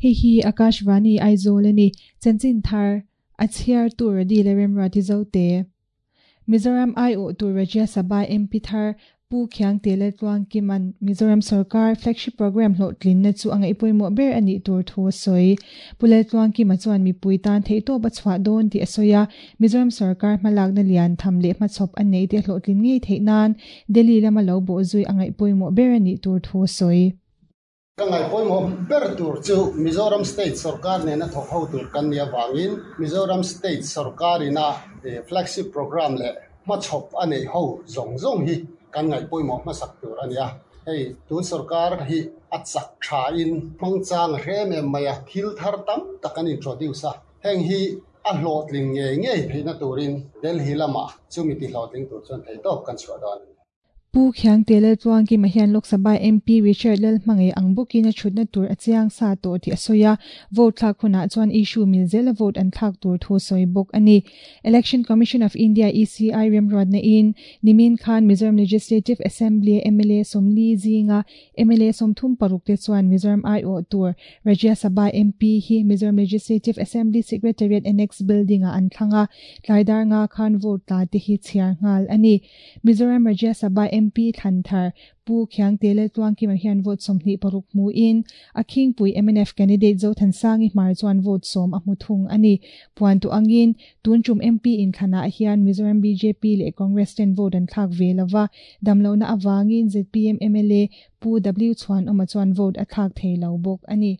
Hei hi Akashvani Aizawl a ni. Chanchin thar a chhiar tur a dil a remruati zote. Mizoram aiawh tur Rajya Sabha MP thar Pu Khiangte Laltluangkima'n Mizoram sorkar flagship programme hlawhtlinna chu a ngaih pawimawh ber a nih tur thu a sawi. Pu Laltluangkima chuan mipui tan theihtawp a chhuah dawn tih a sawi a, Mizoram sorkar hmalakna lian tham leh hmachhawp a neih te hlawhtlin ngei theih nan Delhi lama lo bawhzui a ngaih pawimawh ber a nih tur thu a sawi. Ka ngaihpawimawh ber tur chu Mizoram State sorkar nena thawk ho tur kan nih avangin Mizoram State sorkarina flagship programme leh hmachhawp a neih ho zawng zawng hi kan ngaihpawimawh hmasak tur a ni a. Hei tun sorkar hi a chak thain hmangchang a hre em em mai a, thil thar tam tak an introduce a, heng hi a hlawhtling ngei ngei theihna turin Delhi lamah chumi tihlawhtling tur chuan theihtawp kan chhuah dawn a ni. Pu Khiangte Laltluangkima hian Lok Sabha MP Richard Lalhmangaih ang bawkin a thutna tur a chiang sa tawh tih a sawi a, vote thlak hunah chuan issue mil zela vote an thlak tur thu sawi bawk a ni. Election Commission of India, ECI, remruatna in nimin khan Mizoram Legislative Assembly a mla 40 zinga mla 36 te chuan Mizoram aiawh tur Rajya Sabha MP hi Mizoram Legislative Assembly Secretariat Annex Building ah an thlang a, tlai dar nga khan vote tla te hi chhiar nghal a ni. Mizoram Rajya Sabha MP thlan thar Pu Khiangte Laltluangkima hian vote 26 hmuin a khingpui mnf candidate Zothansangi Hmar chuan vote 10 a hmu thung a ni. Puan tu angin tun tum MP inthlanah hian Mizoram BJP leh Congress ten vote an thlak ve lova, damlohna avangin ZPM MLA Pu W Chhuanawma chuan vote a thlak thei lo bawk a ni.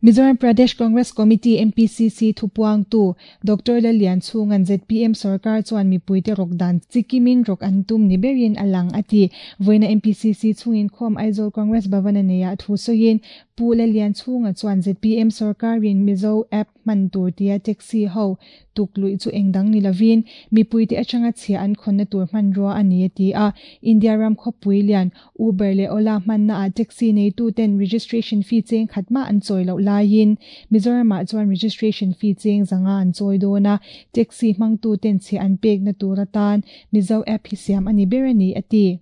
Mizoram Pradesh Congress Committee, MPCC, thupuangtu Doctor Lallianchhunga'n ZPM sorkar chuan mipuite rawk dan chikimin rawk an tum ni berin a lang a ti. Vawiina MPCC chhungin khawm Aizawl Congress Bhavan a neiah thu sawiin Pu Lallianchhunga chuan ZPM sorkarin Mizo App hman tur tia taxi ho tuk luih chu eng dang ni lovin mipuite atanga chhia an khawnna tur hmanrua a ni a ti a. India ram khawpui lian Uber leh Ola hmanna ah taxi neitu ten registration fee cheng khat mah an chawi loh laiin Mizoram ah chuan registration fee cheng zanga an chawi dawn a, taxi hmangtu ten chhia an pekna tur atan Mizo app hi siam a ni ber a ni a ti.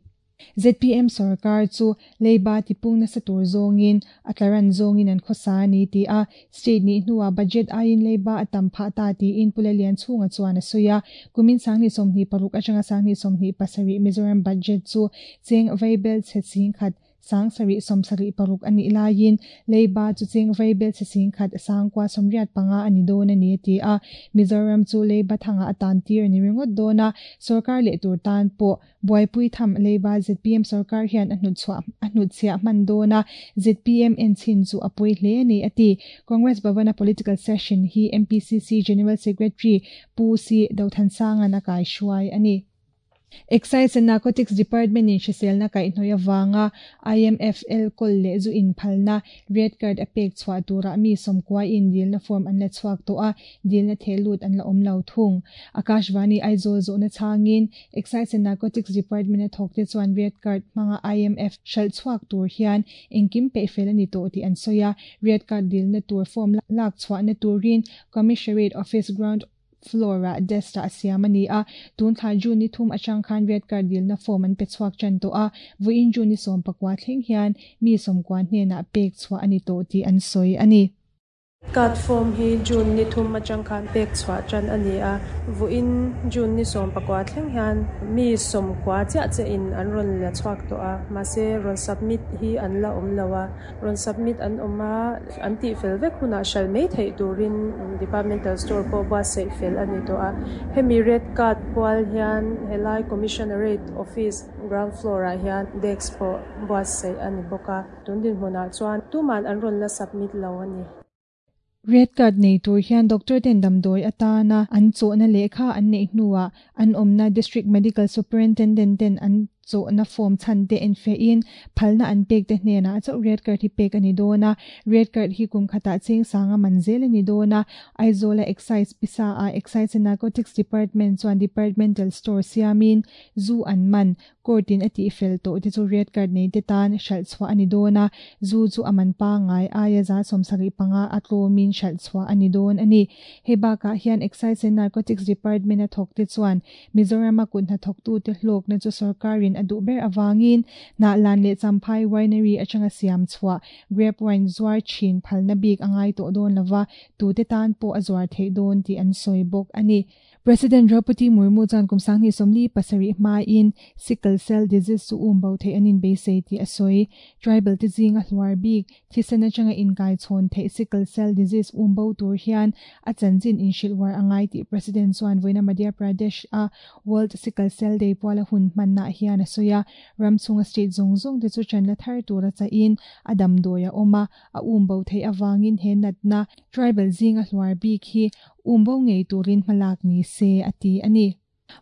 ZPM sarkar chu leiba tipung nasa tur zawngin a tlaran zawngin an khawsa a ni ti a, state nih hnuah budget aiin leiba a tam phah ta tiin Pu Lallianchhunga chuan a sawi a, kumin 2026 atanga 2027 Mizoram budget chu cheng vaibel chhe 10,000 776 a nih laiin leiba chu cheng vaibel chhe 10,000 985 a ni dawn a ni a ti a, Mizoram chu leiba thangah a tan tir a ni ringawt dawn a, sorkar leh tur tan pawh Buaipui tham leiba ZPM sorkar hian a hnutchhuah a hnutchhiah hman dawn a, ZPM en chhin chu a pawi hle a ni a ti. Congress Bhavan-a political session hi MPCC General Secretary Pu Si Dothansanga'n a kaihruai a ni. Excise and Narcotics Department-in hriselna kaihhnawih avanga IMFL kawl leh zu inphalna Red Card a pek chhuah turah mi 90 in dilna form an la chhuak tawh a, dilna theh lut an la awm lo thung. Akashvani Aizawl zawhna chhangin Excise and Narcotics Department a thawk te chuan Red Card hmanga IMF hralh chhuak tur hian engkim peih fel a ni tawh tih an sawi a, Red Card dilna tur form lak chhuahna turin Commissionerate Office ground floor ah desk ah siam a ni a, tun thla June ni 3 atang khan Red Card dilna form an pe chhuak tan tawh a, vawiin June ni 19 thleng hian mi 90 hnenah pek chhuah a ni tawh tih an sawi a ni. Card form hi June ni 3 atang khan pek chhuah tan a ni a, vawiin June ni 19 thleng hian mi 90 chiah che in an rawn la chhuak tawh a, mahse rawn submit hi an la awm lo a, rawn submit an awm a, an tih fel vek hunah hral mai theih turin departmental store pawh buatsaih fel a ni tawh a, hemi red card pual hian helai commissionerate office ground floor ah hian desk pawh buatsaih a ni bawk a. Tun dinhmunah chuan tuman an rawn la submit lo a ni. Red card nei tur hian doctor ten damdawi atana an chawhna lehkha an neih hnuah an awmna District Medical Superintendent ten an chawhna form chhan te en fehin phalna an pek te hnenah chauh red card hi pek a ni dawn a, red card hi kum khatah cheng sanga man zel a ni dawn a, Aizawl a Excise pisa ah Excise and Narcotics Department chuan departmental store siamin zu an man Court in a tih fel tawh te chu red card nei te tan hralh chhuah a ni dawn a, zu chu a man pangngai aia 75 a tlawmin hralh chhuah a ni dawn a ni. Hei bakah hian Excise and Narcotics Department a thawk te chuan Mizoram a kut hnathawktute hlawkna chu sorkarin sorkarin a duh ber avangin Hnahlan leh Champhai Winery atanga siam chhuah grape wine zuar thin phalna bik a ngai tawh dawn lova, tute tan pawh a zuar theih dawn tih an sawi bawk a ni. President Draupadi Murmu chuan kum 2037 hmain sickle cell disease chu um bo theih an inbeisei tih a sawi. Tribal te zinga hluar bik, thisen atanga inkai chhawn theih sickle cell disease um bo tur hian a chanchin inhrilh uar a ngai tih President chuan vawiina Madhya Pradesh a World Sickle Cell Day puala hun hmannaah hian a sawi a. Ram chhunga state zawng zawng te chu chanla thar tura chahin a damdawi a awm a, a um bo theih avangin he natna tribal zinga hluar bik hi Um bo ngei turin hmalak ni se, a ti a ni.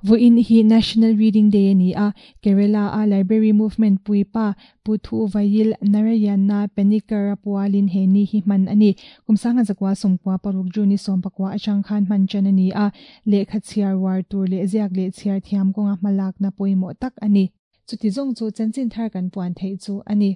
Vawiin hi National Reading Day a ni a, Kerala-a Library Movement puipa Pu Thuvayil Narayana Panikkar-a pualin he ni hi hman a ni. Kum 1996 June ni 14 atang khan hman tan a ni a, lehkha chhiar uar tur leh ziak leh chhiar thiam kawnga hmalakna pawimawh tak a ni. Chuti zawng chu chanchin thar kan puan theih chu a ni.